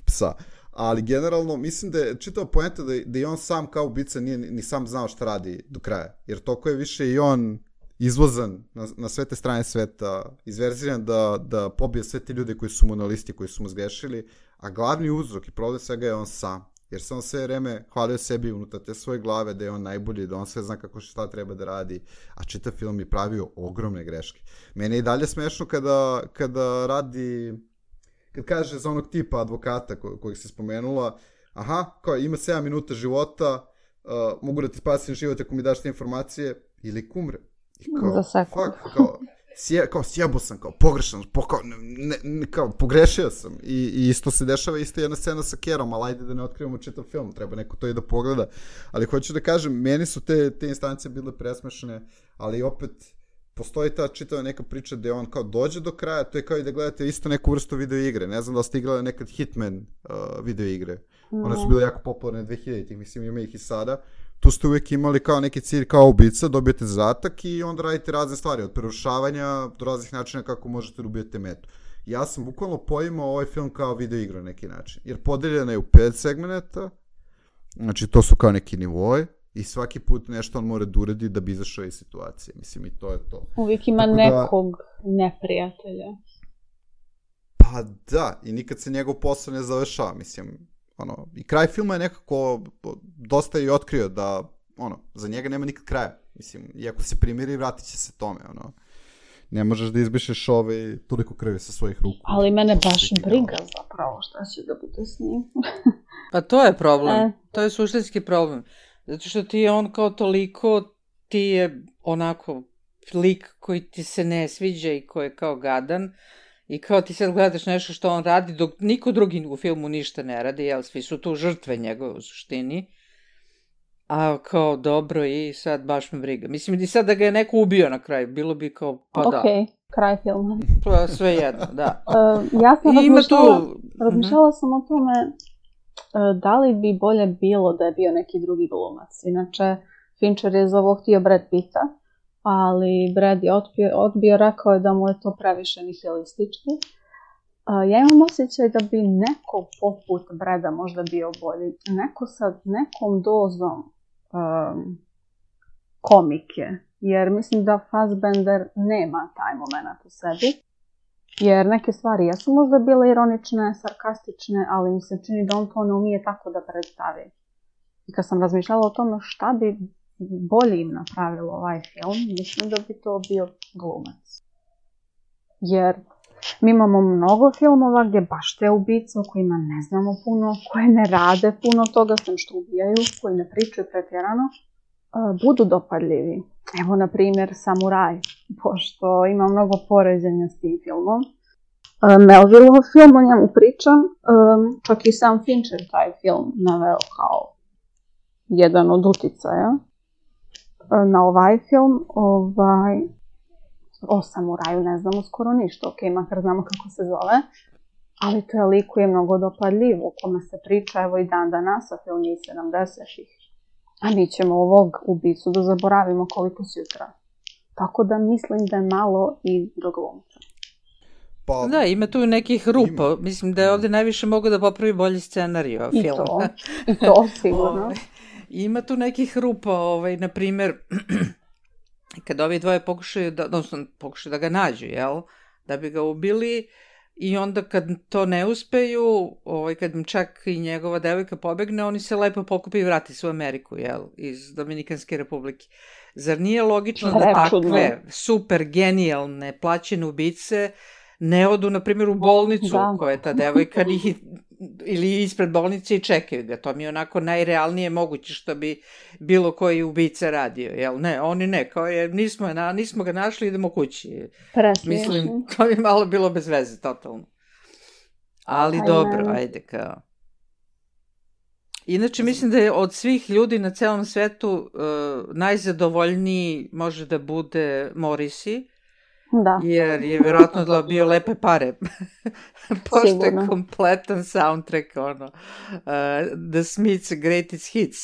psa. Ali generalno, mislim da je čitava poenta da i on sam kao ubica nije ni sam znao šta radi do kraja. Jer toliko je više i on izvozan na sve te strane sveta, izverziran da pobije sve te ljude koji su mu na listi, koji su mu zgrešili, a glavni uzrok i problem svega je on sam. Jer se on sve vreme hvalio sebi unutar te svoje glave da je on najbolji, da on sve zna kako šta treba da radi, a čitav film je pravio ogromne greške. Mene je i dalje smešno kada radi, kad kaže za onog tipa advokata kojeg si spomenula, kao ima 7 minuta života, mogu da ti spasim život ako mi daš te informacije, ili kumre. Za sekund. kao sjebo sam, kao pogrešan, kao pogrešio sam. I isto se dešava, isto jedna scena sa Kerom, ali ajde da ne otkrivamo čitav film, treba neko to i da pogleda. Ali hoću da kažem, meni su te instance bile presmešne, ali opet postoji ta čitava neka priča gde on kao dođe do kraja, to je kao i da gledate isto neku vrstu video igre. Ne znam da li ste igrali nekad Hitman video igre. One su bile jako popularne 2000-ih, mislim ima ih i sada. Tu ste uvijek imali kao neki cilj kao ubica, dobijete zadatak i onda radite razne stvari, od prerušavanja do raznih načina kako možete da ubijete metu. Ja sam bukvalno poimao ovaj film kao video igru na neki način, jer podeljena je u 5 segmenta, znači to su kao neki nivoi i svaki put nešto on mora da uredi da bi izašao iz situacije, mislim i to je to. Uvijek ima nekog neprijatelja. Pa da, i nikad se njegov posao ne završava, mislim, i kraj filma je nekako dosta i otkrio da, za njega nema nikad kraja, mislim, i ako se primiri, vratit će se tome, ne možeš da izbrišeš toliko krvi sa svojih ruku. Ali mene baš briga zapravo šta će da bude s njim. Pa to je problem, to je suštinski problem, zato što ti je on kao toliko, ti je onako lik koji ti se ne sviđa i koji je kao gadan, i kao ti sad gledaš nešto što on radi, dok niko drugi u filmu ništa ne radi, jel, svi su tu žrtve njegove u suštini. A kao dobro i sad baš me briga. Mislim i sad da ga je neko ubio na kraju, bilo bi kao pa da. Ok, kraj filma. Pa sve jedno, da. Ja sam razmišljala sam o tome da li bi bolje bilo da je bio neki drugi glumac. Inače, Fincher je za ovo htio Brad Pitta, ali Brad je odbio, rekao je da mu je to previše nihilistički. Ja imam osjećaj da bi neko poput Brada možda bio bolji. Neko sa nekom dozom komike. Jer mislim da Fassbender nema taj moment u sebi. Jer neke stvari jesu možda bile ironične, sarkastične, ali mi se čini da on to ne umije tako da predstavi. I kad sam razmišljala o tome šta bi bolje im napravilo ovaj film, mislim da bi to bio glumac. Jer mi imamo mnogo filmova gdje baš te ubice o kojima ne znamo puno, koje ne rade puno toga, sem što ubijaju, koji ne pričaju pretjerano, budu dopadljivi. Evo, na primjer, Samuraj, pošto ima mnogo poređenja s tim filmom. Melvilleov film, o njemu pričam, čak i sam Fincher taj film naveo kao jedan od uticaja na ovaj film. O Samuraju ne znamo skoro ništa, ok, makar znamo kako se zove, ali to je lik koji je mnogo dopadljiv, o kome se priča evo i dan danas, a film je iz 70-ih. A mi ćemo ovog ubicu da zaboravimo koliko sutra. Tako da mislim da je malo i do glumca. Pa, da, ima tu nekih rupa. Mislim da je ovdje najviše mogu da popravi bolji scenarij film. I to sigurno. Ima tu nekih rupa, na primjer, kad ovi dvoje pokušaju da ga nađu, jel? Da bi ga ubili, i onda kad to ne uspeju, kad im čak i njegova devojka pobegne, oni se lepo pokupi i vrati se u Ameriku, jel? Iz Dominikanske republike. Zar nije logično da takve super genijalne plaćene ubice ne odu, na primjer, u bolnicu koja je ta devojka ili ispred bolnice i čekaju ga? To mi je onako najrealnije moguće što bi bilo koji ubica radio, jel? Ne, oni ne, kao je, nismo ga našli, idemo kući. Mislim, to bi malo bilo bez veze, totalno. Ali dobro, ajde kao. Inače, mislim da je od svih ljudi na celom svetu najzadovoljniji može da bude Morrissey. Da. Jer je vjerojatno dobio lepe pare. Pošto je kompletan soundtrack, The Smiths Greatest Hits,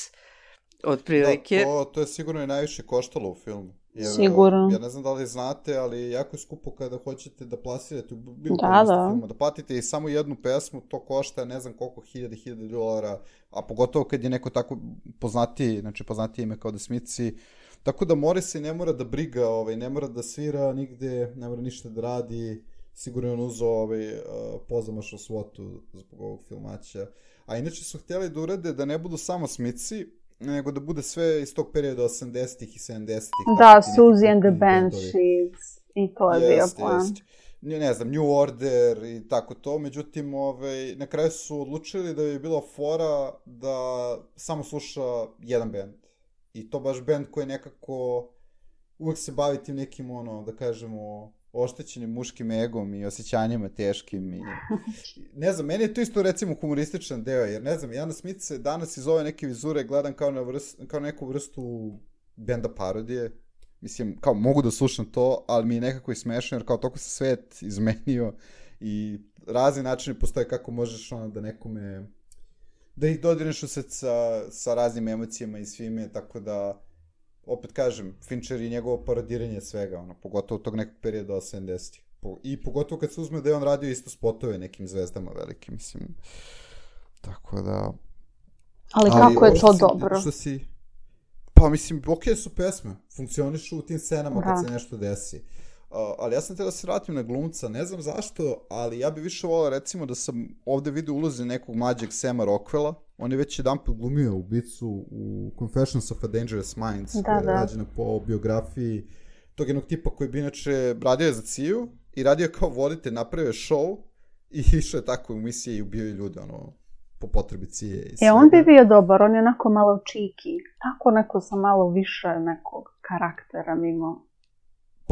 otprilike. Da, to je sigurno i najviše koštalo u filmu. Sigurno. Ja ne znam da li znate, ali jako je skupo kada hoćete da plasirate u bilo kojem filmu. Da platite i samo jednu pesmu, to košta ne znam koliko, $1000, a pogotovo kad je neko tako poznatiji, znači poznatiji ime kao The Smithsi. Tako da Morrissey ne mora da briga, ne mora da svira nigde, ne mora ništa da radi, sigurno je on uzeo pozamašnu svotu zbog ovog filmaća. A inače su htjeli da urade da ne budu samo Smithsi, nego da bude sve iz tog perioda 80-ih i 70-ih. Da, Susie and the Banshees, i to je bio plan. Ne znam, New Order i tako to, međutim, na kraju su odlučili da bi bila fora da samo sluša jedan band. I to baš band koji nekako uvek se bavi tim nekim, da kažemo, oštećenim muškim egom i osjećanjima teškim. Ne znam, meni je to isto recimo humorističan deo, jer ne znam, Jana Smith se danas iz ove neke vizure gledam kao neku vrstu benda parodije. Mislim, kao mogu da slušam to, ali mi je nekako i smešno, jer kao toliko se svet izmenio i razni načini postoje kako možeš da nekome, da ih dodirneš u srce sa raznim emocijama i svime, tako da, opet kažem, Fincher i njegovo parodiranje svega, pogotovo tog nekog perioda 80-ih. I pogotovo kad se uzme da je on radio isto spotove nekim zvezdama velikim, mislim. Tako da... Ali kako je to dobro? Pa mislim, okej su pesme, funkcionišu u tim scenama kad se nešto desi. Ali ja sam te da se vratim na glumca, ne znam zašto, ali ja bi više volao recimo da sam ovde vidio ulozi nekog mlađeg Sama Rockwella. On je već jedanput glumio ubicu u Confessions of a Dangerous Minds, koja je rađena po biografiji tog jednog tipa koji bi inače radio za CIA i radio kao voditelj, napravio show i išao je tako u misije i ubio ljude, po potrebi CIA i svega. On bi bio dobar, on je onako malo čiki, tako neko sa malo više nekog karaktera mimo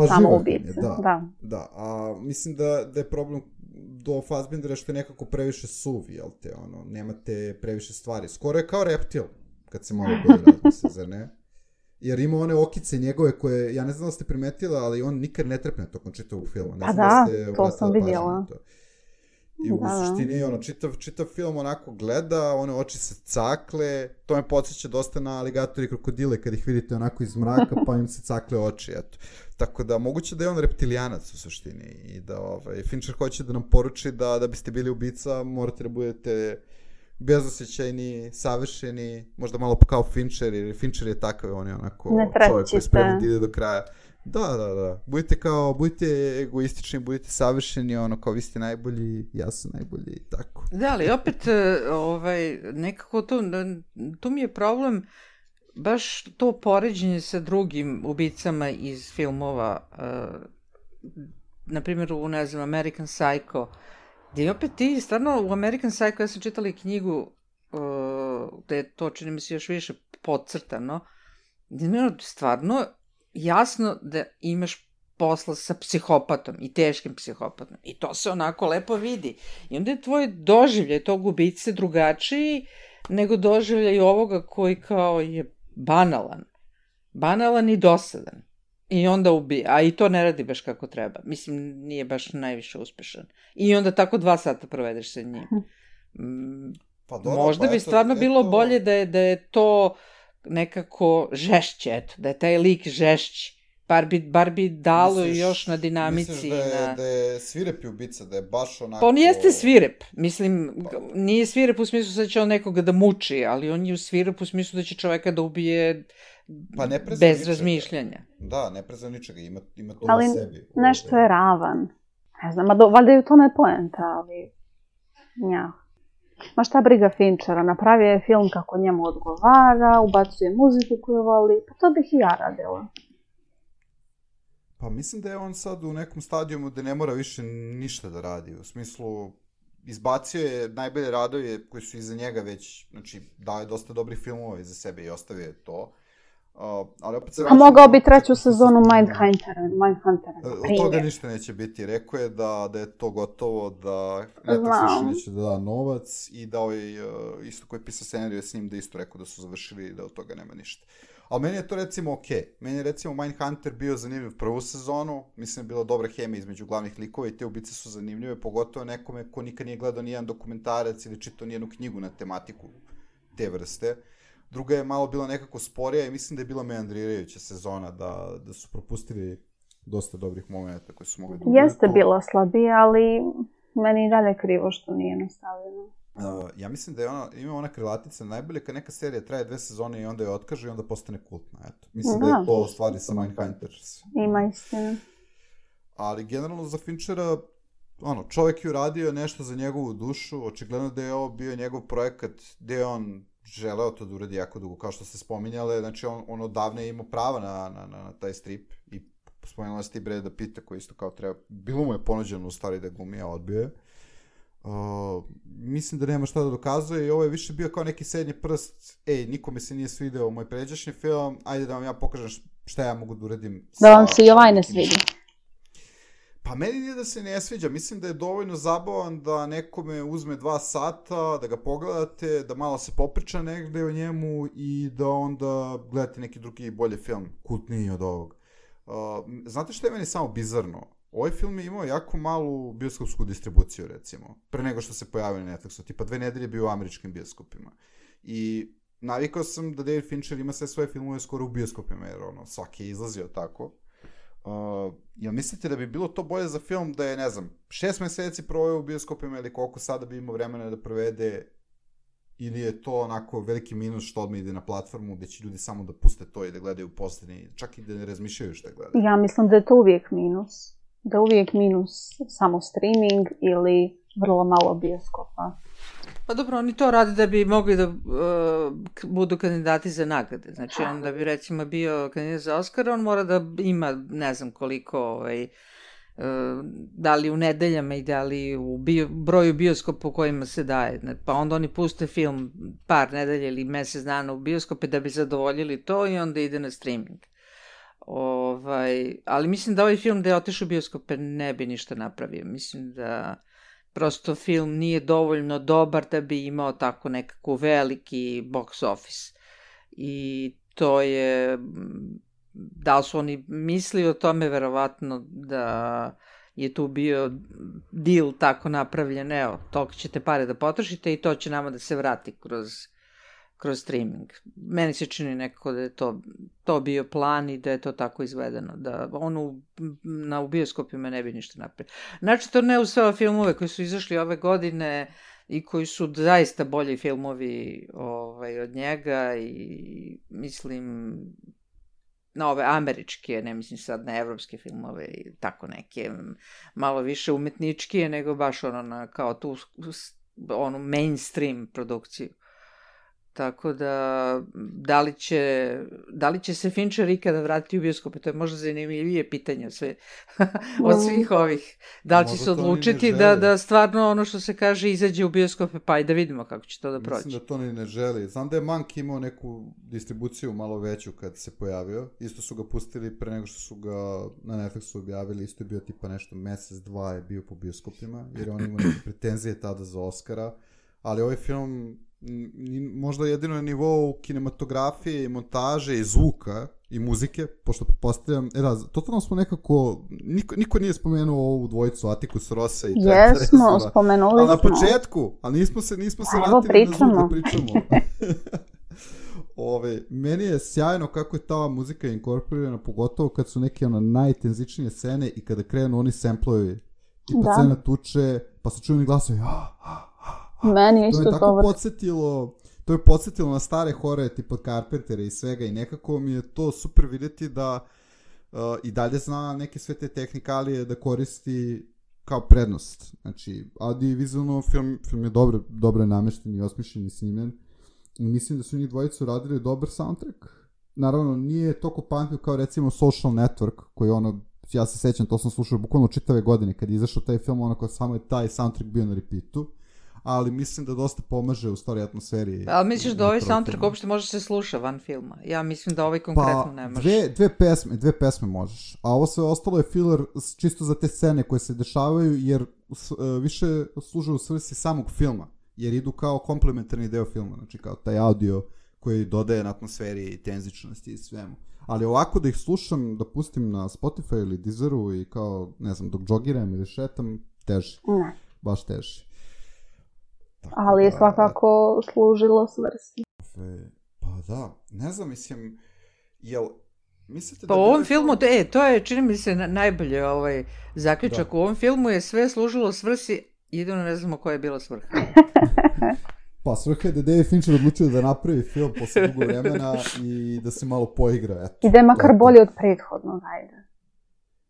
samo ubice. Da, a mislim da je problem do Fassbendera što je nekako previše suv, jel te, nemate previše stvari. Skoro je kao reptil, kad se malo bolje razmisli, zar ne? Jer ima one okice njegove koje, ja ne znam da ste primetila, ali on nikad ne trepne tokom čitavog filma. Pa da, to sam vidjela. I u suštini, čitav film onako gleda, one oči se cakle, to me podsjeća dosta na aligatori i krokodile, kad ih vidite onako iz mraka, pa im se cakle oči, eto. Tako da, moguće da je on reptilijanac u suštini i da Fincher hoće da nam poruči da biste bili ubica, morate da budete bezosjećajni, savršeni, možda malo kao Fincher, jer Fincher je takav, on je onako čovjek koji je spreman da ide do kraja. Da. Budite egoistični, budite savršeni, kao vi ste najbolji, ja sam najbolji, tako. Da, ali opet, nekako tu mi je problem baš to poređenje sa drugim ubicama iz filmova, na primjer u, ne znam, American Psycho, gdje opet ti, stvarno, u American Psycho, ja sam čitala i knjigu, gde je to, čini mi se, još više podcrtano, gdje je stvarno jasno da imaš posla sa psihopatom i teškim psihopatom. I to se onako lepo vidi. I onda je tvoj doživljaj tog ubice drugačiji nego doživljaj ovoga koji kao je banalan. Banalan i dosadan. I onda ubija. A i to ne radi baš kako treba. Mislim, nije baš najviše uspešan. I onda tako 2 sata provedeš sa njim. Možda bi stvarno bilo bolje da je to nekako žešće, eto, da je taj lik žešći. Bar bi dalo još na dinamici. Misliš da je svirepi ubica, da je baš onako... Pa on jeste svirep. Mislim, nije svirep u smislu da će on nekoga da muči, ali on je svirep u smislu da će čoveka da ubije bez razmišljanja. Da, ne prezna ničega, ima to ali na sebi. Ali nešto je ravan. Ne znam, valjda je u tome poenta, ali... Ja. Ma šta briga Finchera, napravio je film kako njemu odgovara, ubacuje muziku koju voli, pa to bih i ja radila. Pa mislim da je on sad u nekom stadijumu da ne mora više ništa da radi, u smislu izbacio je najbolje radove koji su iza njega već, znači dao je dosta dobrih filmova iza sebe i ostavio je to. Ali opet se... A mogao bi 3. sezonu Mindhuntera. Od toga ništa neće biti. Rekao je da je to gotovo, da Netflix više neće da da novac i da isto koji je pisao scenariju s njim da isto rekao da su završili i da od toga nema ništa. Ali meni je to recimo okej. Meni je recimo Mindhunter bio zanimljiv prvu sezonu, mislim je bila dobra hemija između glavnih likova i te ubice su zanimljive, pogotovo nekome ko nikad nije gledao nijedan dokumentarac ili čitao nijednu knjigu na tematiku te vrste. Druga je malo bila nekako sporija i mislim da je bila meandrirajuća sezona, da su propustili dosta dobrih momenta koji su mogli da ubiju. Jeste bila slabija, ali meni i dalje krivo što nije nastavljeno. Ja mislim da je ima ona krilatica najbolje kad neka serija traje 2 sezone i onda je otkaže i onda postane kultna. Eto. Mislim da je to stvari sa Mindhunters. Ima istina. Ali generalno za Finchera, čovjek je uradio nešto za njegovu dušu, očigledno da je ovo bio njegov projekat gde je on želeo to da uradi jako dugo, kao što ste spominjale, znači on odavne imao prava na taj strip i spomenula ste i Breda Pitta koji isto kao treba, bilo mu je ponuđeno u stvari da glumi, a odbio je. Mislim da nema šta da dokazuje i ovo je više bio kao neki srednji prst, nikome se nije svideo moj pređašnji film, ajde da vam ja pokažem šta ja mogu da uradim. Da vam se i ovaj ne svidi. Pa meni nije da se ne sviđa, mislim da je dovoljno zabavan da nekome uzme 2 sata, da ga pogledate, da malo se popriča negde o njemu i da onda gledate neki drugi bolji film, kultniji od ovog. Znate što je meni samo bizarno? Ovaj film je imao jako malu bioskopsku distribuciju, recimo, pre nego što se pojavio na Netflixu, tipa 2 nedelje bio u američkim bioskopima. I navikao sam da David Fincher ima sve svoje filmove skoro u bioskopima, jer svaki je izlazio tako. Jel mislite da bi bilo to bolje za film da je, ne znam, 6 meseci proveo u bioskopima ili koliko sada bi imao vremena da provede, ili je to onako veliki minus što odmah ide na platformu gde će ljudi samo da puste to i da gledaju poslednji, čak i da ne razmišljaju šta gledaju? Ja mislim da je to uvijek minus. Da je uvijek minus samo streaming ili vrlo malo bioskopa. Pa dobro, oni to rade da bi mogli da budu kandidati za nagrade. Znači, on da bi recimo bio kandidat za Oscara, on mora da ima ne znam koliko, da li u nedeljama i da li u broju bioskopa u kojima se daje. Pa onda oni puste film par nedelja ili mesec dana u bioskope da bi zadovoljili to i onda ide na streaming. Ali mislim da ovaj film da je otišao u bioskope ne bi ništa napravio. Mislim da prosto film nije dovoljno dobar da bi imao tako nekako veliki box office. I to je, da li su oni mislili o tome, verovatno da je tu bio deal tako napravljen, evo, toliko ćete pare da potrošite i to će nama da se vrati kroz streaming. Meni se čini nekako da je to bio plan i da je to tako izvedeno, da u bioskopima ne bi ništa napravio. Znači, to ne u sve filmove koji su izašli ove godine i koji su zaista bolji filmovi od njega i mislim na ove američke, ne mislim sad na evropske filmove i tako neke malo više umetničkije nego baš kao tu mainstream produkciju. Tako da, da li će se Fincher ikada vratiti u bioskope, to je možda zanimljivije pitanje sve, od svih ovih. Da li će se odlučiti da stvarno ono što se kaže izađe u bioskope, pa i da vidimo kako će to da proći. Mislim da to ni ne želi. Znam da je Mank imao neku distribuciju malo veću kad se pojavio. Isto su ga pustili pre nego što su ga na Netflixu objavili. Isto je bio tipa nešto mesec, 2 je bio po bioskopima, jer on ima neke pretenzije tada za Oscara. Ali ovaj film možda jedino na nivou kinematografije i montaže i zvuka i muzike, pošto pretpostavljam, totalno smo nekako, niko nije spomenuo ovu dvojicu, Atticus Rossa i Trenta Reznora. Jesmo, spomenuli smo. Ali na početku, ali nismo se vratili na zvuk da pričamo. Meni je sjajno kako je ta muzika inkorporirana, pogotovo kad su neke najtenzičnije scene i kada krenu oni samplovi i pa scena tuče, pa se čuju oni glasovi, meni je isto to je podsjetilo na stare horore tipa Carpentera i svega i nekako mi je to super vidjeti da i dalje zna neke sve te tehnikalije da koristi kao prednost. Znači, audiovizualno film je dobro namešten i osmišljen i snimljen i mislim da su njih dvojicu radili dobar soundtrack. Naravno, nije toliko pamtljiv kao recimo Social Network, koji ja se sećam, to sam slušao bukvalno čitave godine kad je izašao taj film, samo je taj soundtrack bio na repeatu. Ali mislim da dosta pomaže u stvari atmosferi. Ali misliš da ovaj soundtrack uopšte može se sluša van filma? Ja mislim da ovaj konkretno ne može. Dve pesme možeš. A ovo sve ostalo je filler čisto za te scene koje se dešavaju, jer više služe u svrsi samog filma. Jer idu kao komplementarni deo filma. Znači kao taj audio koji dodaje na atmosferi i tenzičnosti i svemu. Ali ovako da ih slušam, da pustim na Spotify ili Deezeru i kao, ne znam, dok džogiram ili šetam, teže. Ne. Baš teže. Ali je svakako služilo svrsi. Pa da, ne znam, mislim, jel mislite pa da... u ovom filmu, to je, čini mi se, najbolje zaključak. U ovom filmu je sve služilo svrsi, jedino ne znamo koja je bila svrha. Pa svrha je da David Fincher odlučio da napravi film posle dugo vremena i da se malo poigra, eto. I da je makar bolje od prethodnog, ajde.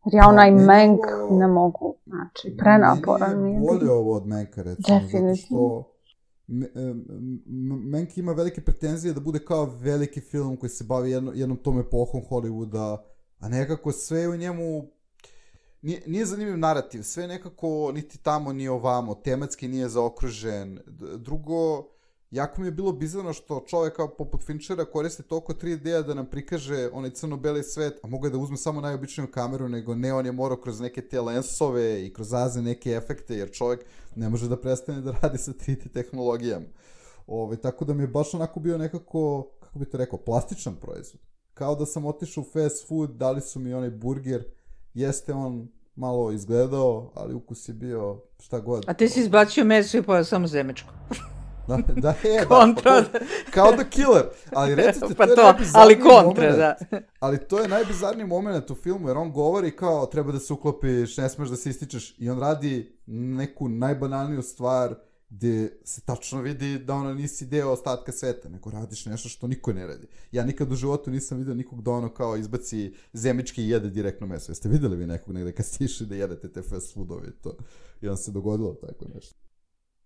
Jer ja onaj Mank ne mogu, znači, prenaporan mi je. Bolje ovo od Manka, recimo, zato što Mank ima velike pretenzije da bude kao veliki film koji se bavi jednom tom epohom Hollywooda, a nekako sve u njemu nije zanimljiv narativ, sve nekako niti tamo ni ovamo, tematski nije zaokružen. Drugo, jako mi je bilo bizarno što čovek kao poput Finchera koristi toliko 3D-a da nam prikaže onaj crno-beli svet, a mogu da uzme samo najobičniju kameru, nego ne, on je morao kroz neke te lensove i kroz razne neke efekte, jer čovek ne može da prestane da radi sa 3D tehnologijama. Tako da mi je baš onako bio nekako, kako bi to rekao, plastičan proizvod. Kao da sam otišao u fast food, dali su mi onaj burger, jeste on malo izgledao, ali ukus je bio šta god. A ti si izbacio meso i pojao samo zemečko. Kontra. Kao The Killer. Ali recite, pa to je ali kontra, da. Ali to je najbizarniji moment u filmu, jer on govori kao treba da se uklopiš, ne smeš da se ističeš, i on radi neku najbanalniju stvar gde se tačno vidi da ono nisi deo ostatka sveta, nego radiš nešto što niko ne radi. Ja nikad u životu nisam vidio nikog da ono kao izbaci zemički i jede direktno meso. Jeste videli vi nekog negde kad ste išli da jedete te fast foodovi i to? I on se dogodilo tako nešto.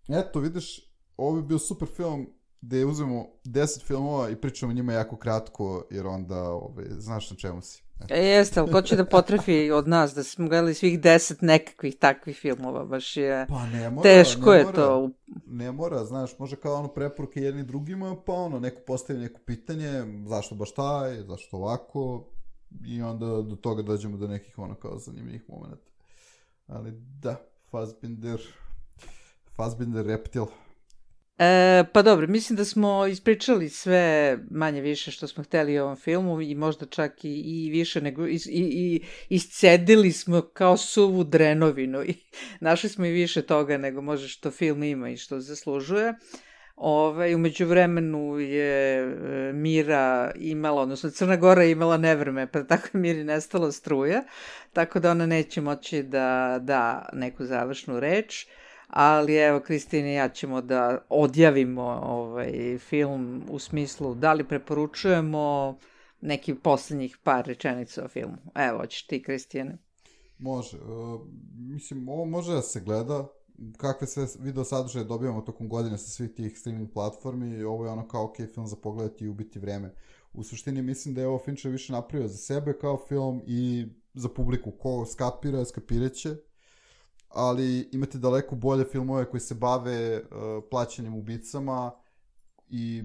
Eto, vidiš, ovo bi bio super film gde uzmemo 10 filmova i pričamo njima jako kratko, jer onda znaš na čemu si. Jeste, ali ko će da potrefi od nas da smo gledali svih 10 nekakvih takvih filmova, baš je pa ne mora, teško ne je mora, to. Ne mora, znaš, može kao ono preporuke jedni drugima, pa ono, neko postavi neko pitanje, zašto baš taj, zašto ovako, i onda do toga dođemo do nekih ono kao zanimljivih momenta. Ali da, Fassbinder Reptil. Pa dobro, mislim da smo ispričali sve manje više što smo hteli u ovom filmu i možda čak i više nego i iscedili smo kao suvu drenovinu i našli smo i više toga nego može što film ima i što zaslužuje. U međuvremenu je Mira imala, odnosno Crna Gora je imala nevreme, pa tako je Miri nestala struja, tako da ona neće moći da da neku završnu reč. Ali evo, Kristina i ja ćemo da odjavimo film u smislu da li preporučujemo neki poslednjih par rečenica o filmu. Evo, hoćeš ti, Kristijane? Može. Mislim, ovo može da se gleda. Kakve sve video sadržaje dobijamo tokom godine sa svih tih streaming platformi. Ovo je ono kao ok film za pogledati i ubiti vreme. U suštini mislim da je ovo Fincher više napravio za sebe kao film i za publiku. Ko skapira, skapiraće. Ali imate daleko bolje filmove koji se bave plaćanjem ubicama i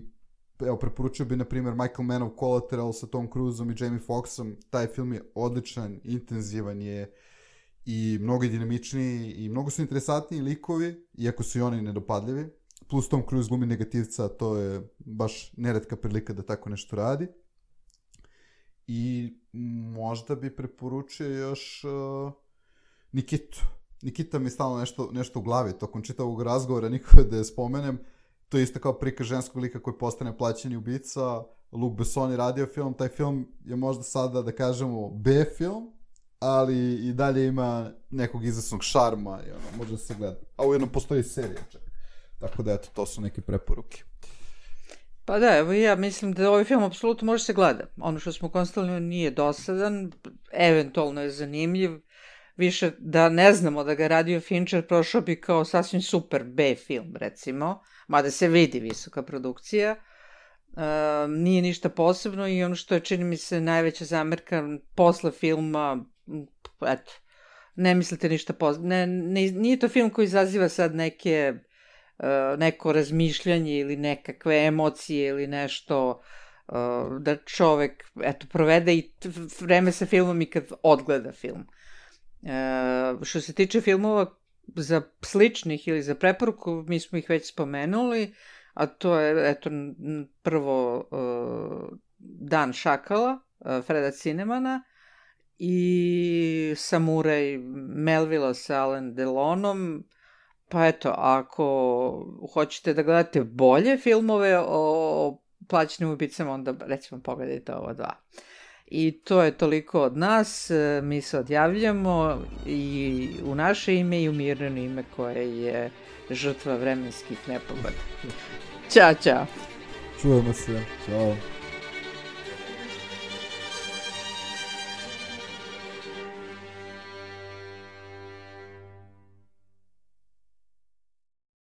evo, preporučio bi na primjer Michael Mann of Collateral sa Tom Cruiseom i Jamie Foxxom. Taj film je odličan, intenzivan je i mnogo je dinamičniji i mnogo su interesantniji likovi, iako su i oni nedopadljivi. Plus Tom Cruise glumi negativca, to je baš neretka prilika da tako nešto radi. I možda bi preporučio još Nikitu. Nikita mi je stalno nešto u glavi, tokom čitavog razgovora nikada da je spomenem. To je isto kao prikaz ženskog lika koji postane plaćeni ubica. Luc Besson je radio film, taj film je možda sada, da kažemo, B film, ali i dalje ima nekog izvesnog šarma i ono, može da se gleda. A ujedno postoji serija čak. Tako da, eto, to su neke preporuke. Pa da, evo ja mislim da ovaj film apsolutno može se gleda. Ono što smo konstatovali nije dosadan, eventualno je zanimljiv. Više da ne znamo da ga radio Fincher, prošao bi kao sasvim super B film, recimo, mada se vidi visoka produkcija. Nije ništa posebno i ono što je, čini mi se, najveća zamerka posle filma, eto, ne mislite ništa posebno. Nije to film koji izaziva sad neko razmišljanje ili nekakve emocije ili nešto da čovek, eto, provede i vreme sa filmom i kad odgleda film. Što se tiče filmova za sličnih ili za preporuku, mi smo ih već spomenuli, a to je, eto, prvo Dan šakala, Freda Cinemana i Samuraj Melvilla sa Alain Delonom. Pa eto, ako hoćete da gledate bolje filmove o plaćenim ubicama, onda recimo pogledajte ovo dva. I to je toliko od nas, mi se odjavljamo i u naše ime i u Mirno ime koje je žrtva vremenskih nepogoda. Ćao, čao. Čujemo se, čao.